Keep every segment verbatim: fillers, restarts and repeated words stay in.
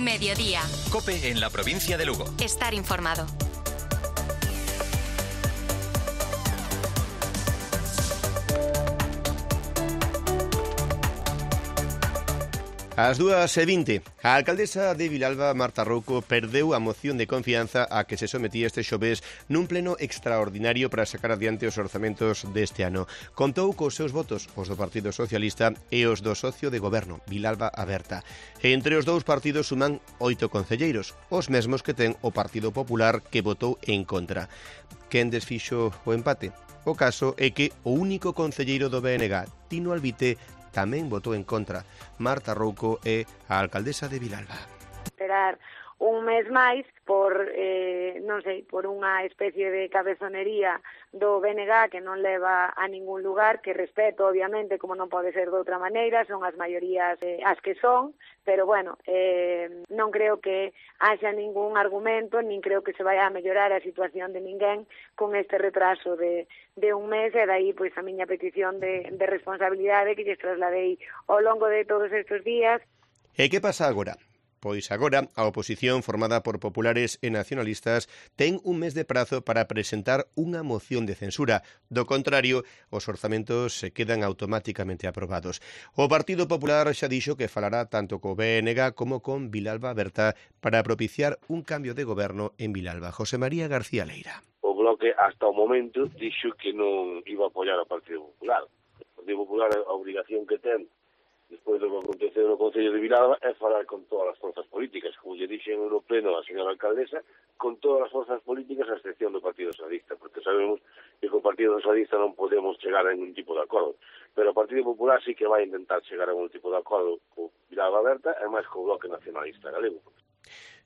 Mediodía. COPE en la provincia de Lugo. Estar informado. Ás dúas e vinte, a alcaldesa de Vilalba, Marta Rouco, perdeu a moción de confianza a que se sometía este xoves nun pleno extraordinario para sacar adiante os orzamentos deste ano. Contou cos seus votos, os do Partido Socialista e os do socio de goberno, Vilalba Aberta. E entre os dous partidos suman oito concelleiros, os mesmos que ten o Partido Popular, que votou en contra. Quen desfixo o empate? O caso é que o único concelleiro do B N G, Tino Albite, tamén votou en contra. Marta Rouco é a alcaldesa de Vilalba. Esperar un mes máis por, eh, non sei, por unha especie de cabezonería do B N G que non leva a ningún lugar, que respeto, obviamente, como non pode ser de outra maneira, son as maiorías eh, as que son, pero, bueno, eh, non creo que haxa ningún argumento, nin creo que se vaya a mellorar a situación de ninguén con este retraso de, de un mes, e dai, pois, a miña petición de, de responsabilidade que lles trasladei ao longo de todos estes días. E que pasa agora? Pois agora a oposición, formada por populares e nacionalistas, ten un mes de prazo para presentar unha moción de censura. Do contrario, os orzamentos se quedan automáticamente aprobados. O Partido Popular xa dixo que falará tanto co B N G como con Vilalba Aberta para propiciar un cambio de goberno en Vilalba. José María García Leira. O Bloque, hasta o momento, dixo que non iba a apoiar ao Partido Popular. O Partido Popular, a obrigación que ten despois do que aconteceu no Concello de Vilalba é falar con todas as forzas políticas, como lle dixen no pleno a señora alcaldesa, con todas as forzas políticas a excepción do Partido Socialista, porque sabemos que co Partido Socialista non podemos chegar a ningún tipo de acordo, pero o Partido Popular sí que vai intentar chegar a algún tipo de acordo co Vilalba Aberta e máis co Bloque Nacionalista Galego.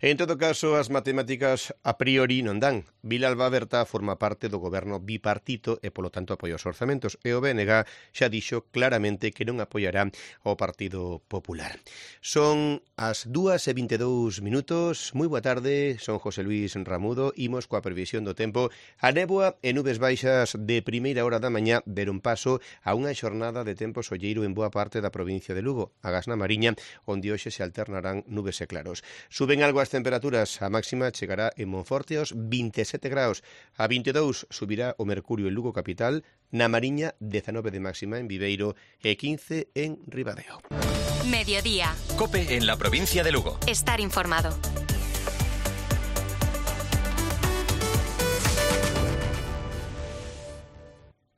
En todo caso, as matemáticas a priori non dan. Vilalba Aberta forma parte do goberno bipartito e, polo tanto, apoia os orzamentos. E o B N G xa dixo claramente que non apoiará o Partido Popular. Son as dúas e vinte e dous minutos. Moi boa tarde, son José Luís Ramudo. Imos coa previsión do tempo. A néboa e nubes baixas de primeira hora da mañá deron paso a unha xornada de tempo solleiro en boa parte da provincia de Lugo, agás na Mariña, onde hoxe se alternarán nubes e claros. Suben algo as temperaturas, a máxima chegará en Monforte aos vinte e sete graus, a vinte e dous subirá o mercurio en Lugo capital, na Mariña dezanove de máxima en Viveiro e quince en Ribadeo. Mediodía. COPE en la provincia de Lugo. Estar informado.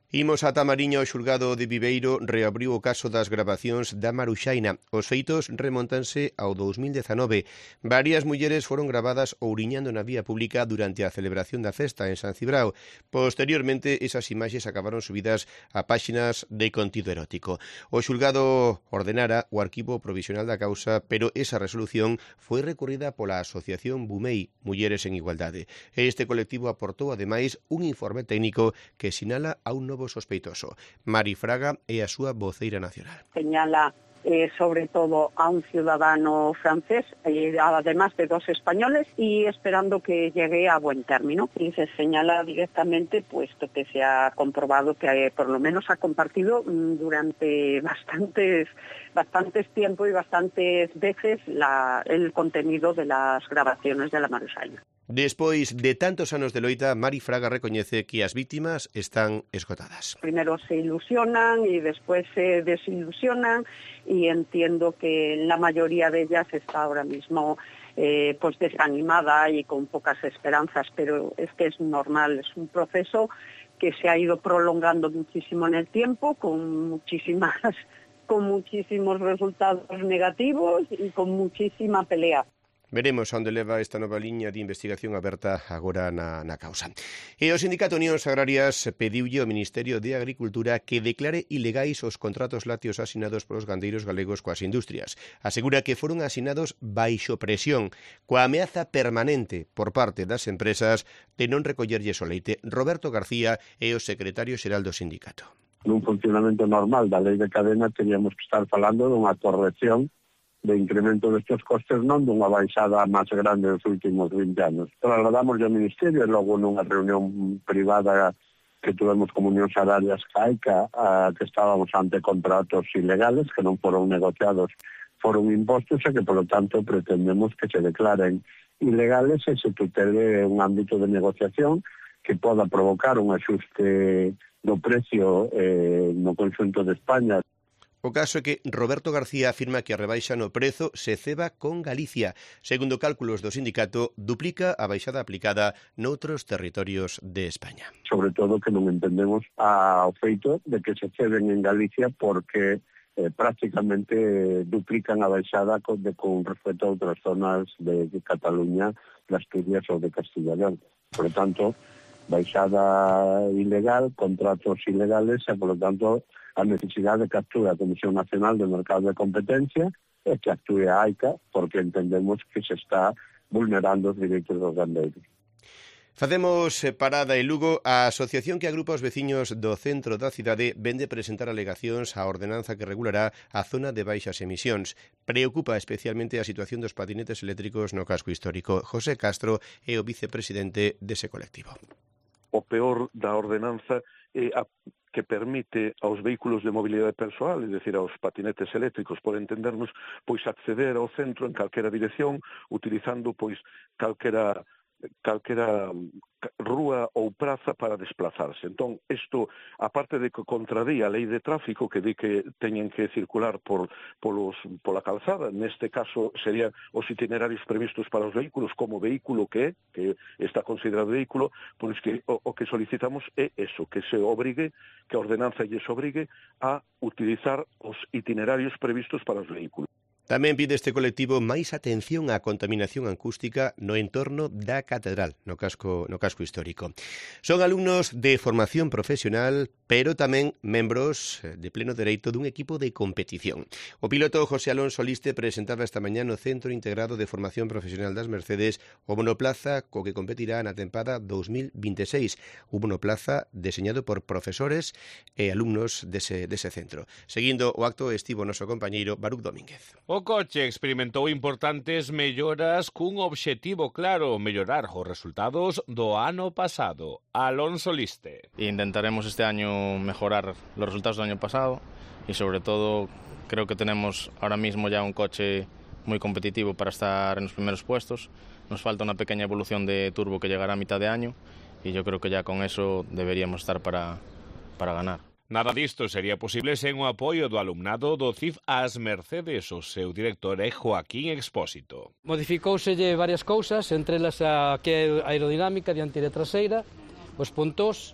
Imos ata Mariña. O xulgado de Viveiro reabriu o caso das gravacións da Maruxaina. Os feitos remontanse ao dous mil dezanove. Varias mulleres foron gravadas ouriñando na vía pública durante a celebración da festa en San Cibrao. Posteriormente, esas imaxes acabaron subidas a páxinas de contido erótico. O xulgado ordenara o arquivo provisional da causa, pero esa resolución foi recurrida pola Asociación Bumei, Mulleres en Igualdade. Este colectivo aportou, ademais, un informe técnico que sinala a un novo sospeitoso. Mari Fraga é a súa voceira nacional. Señala eh, sobre todo a un ciudadano francés, eh, además de dos españoles, y esperando que llegue a buen término. Y se señala directamente, puesto que se ha comprobado que eh, por lo menos ha compartido mm, durante bastantes bastantes tiempo y bastantes veces la, el contenido de las grabaciones de la Maruxaina. Despois de tantos anos de loita, Mari Fraga recoñece que as vítimas están esgotadas. Primero se ilusionan y después se desilusionan, y entiendo que la mayoría de ellas está ahora mismo eh, pues desanimada y con pocas esperanzas, pero es que es normal, es un proceso que se ha ido prolongando muchísimo en el tiempo, con muchísimas con muchísimos resultados negativos y con muchísima pelea. Veremos onde leva esta nova liña de investigación aberta agora na, na causa. E o Sindicato Unións Agrarias pediulle ao Ministerio de Agricultura que declare ilegais os contratos lácteos asinados polos gandeiros galegos coas industrias. Asegura que foron asinados baixo presión, coa ameaza permanente por parte das empresas de non recollerlles o leite. Roberto García é o secretario xeral do sindicato. Nun funcionamento normal da lei de cadena teríamos que estar falando dunha corrección de incremento destes costes, non dunha baixada máis grande dos últimos vinte anos. Trasladamos ao Ministerio e logo nunha reunión privada que tuvemos como Unións Agrarias caica, a, que estábamos ante contratos ilegales que non foron negociados foron impostos e que, polo tanto, pretendemos que se declaren ilegales e se tutele un ámbito de negociación que poda provocar un axuste do precio eh, no conxunto de España. O caso é que Roberto García afirma que a rebaixa no prezo se ceba con Galicia. Segundo cálculos do sindicato, duplica a baixada aplicada noutros territorios de España. Sobre todo que non entendemos ao feito de que se ceben en Galicia porque eh, prácticamente duplican a baixada con, de, con respecto a outras zonas de, de Cataluña, de Asturias ou de Castilla e León. Por lo tanto, baixada ilegal, contratos ilegales e, por lo tanto, a necesidade que actúe a Comisión Nacional de Mercado de Competencia e que actúe a AICA porque entendemos que se está vulnerando os direitos dos gandeiros. Facemos parada en Lugo. A asociación que agrupa os veciños do centro da cidade vende presentar alegacións á ordenanza que regulará a zona de baixas emisións. Preocupa especialmente a situación dos patinetes eléctricos no casco histórico. José Castro é o vicepresidente dese colectivo. O peor da ordenanza é a que permite aos vehículos de mobilidade persoal, é dicir, aos patinetes eléctricos, por entendernos, pois acceder ao centro en calquera dirección, utilizando pois calquera calquera rúa ou praza para desplazarse. Entón, isto, aparte de que contradía a lei de tráfico que di que teñen que circular por polos, pola calzada, neste caso serían os itinerarios previstos para os vehículos como vehículo que é, que está considerado vehículo, pois que o, o que solicitamos é eso, que se obrigue, que a ordenanza lles obrigue a utilizar os itinerarios previstos para os vehículos. Tamén pide este colectivo máis atención á contaminación acústica no entorno da catedral, no casco, no casco histórico. Son alumnos de formación profesional, pero tamén membros de pleno dereito dun equipo de competición. O piloto José Alonso Liste presentaba esta mañá no Centro Integrado de Formación Profesional das Mercedes o monoplaza co que competirá na tempada dos mil vinte e seis, un monoplaza deseñado por profesores e alumnos dese, dese centro. Seguindo o acto estivo o noso compañeiro Baruch Domínguez. O coche experimentou importantes melloras cun obxectivo claro, mellorar os resultados do ano pasado. Alonso Liste. Intentaremos este año mejorar los resultados del año pasado y sobre todo creo que tenemos ahora mismo ya un coche muy competitivo para estar en los primeros puestos. Nos falta una pequeña evolución de turbo que llegará a mitad de año y yo creo que ya con eso deberíamos estar para, para ganar. Nada disto sería posible sen o apoio do alumnado do C I F ás Mercedes. O seu director é Joaquín Expósito. Modificouselle varias cousas, entre elas a que é aerodinámica dianteira e traseira, os pontós,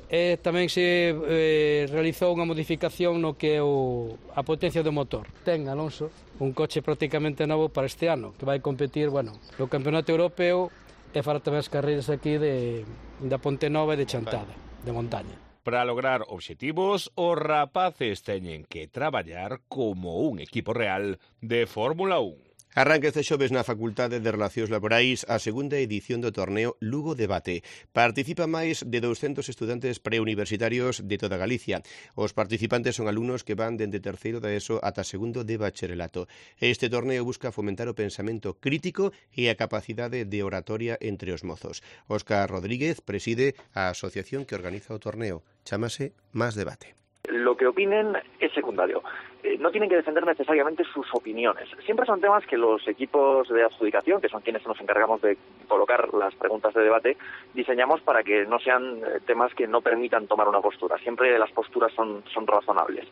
e tamén se eh, realizou unha modificación no que é o, a potencia do motor. Ten, Alonso, un coche prácticamente novo para este ano, que vai competir, bueno, no Campeonato Europeo e fará tamén as carreiras aquí de, da Ponte Nova e de Chantada, de montaña. Para lograr obxectivos, os rapaces teñen que traballar como un equipo real de Fórmula un. Arranca este xoves na Facultade de Relacións Laborais a segunda edición do torneo Lugo Debate. Participa máis de douscentos estudantes preuniversitarios de toda Galicia. Os participantes son alumnos que van dende terceiro da ESO ata segundo de bacharelato. Este torneo busca fomentar o pensamento crítico e a capacidade de oratoria entre os mozos. Óscar Rodríguez preside a asociación que organiza o torneo. Chámase Más Debate. Lo que opinen es secundario. Eh, no tienen que defender necesariamente sus opiniones. Siempre son temas que los equipos de adjudicación, que son quienes nos encargamos de colocar las preguntas de debate, diseñamos para que no sean eh, temas que no permitan tomar una postura. Siempre las posturas son, son razonables.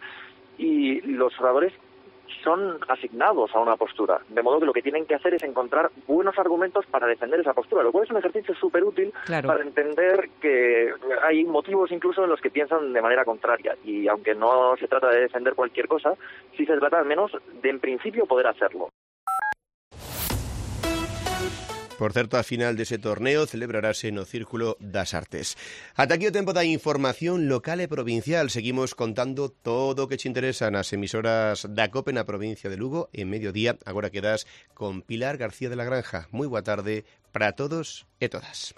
Y los oradores son asignados a una postura, de modo que lo que tienen que hacer es encontrar buenos argumentos para defender esa postura, lo cual es un ejercicio súper útil claro. para entender que hay motivos incluso en los que piensan de manera contraria, y aunque no se trata de defender cualquier cosa, sí se trata al menos de en principio poder hacerlo. Por certo, a final dese torneo celebrarase no Círculo das Artes. Ata aquí o tempo da información local e provincial. Seguimos contando todo o que te interesa nas emisoras da COPE na provincia de Lugo. En mediodía, agora quedas con Pilar García de la Granja. Moi boa tarde para todos e todas.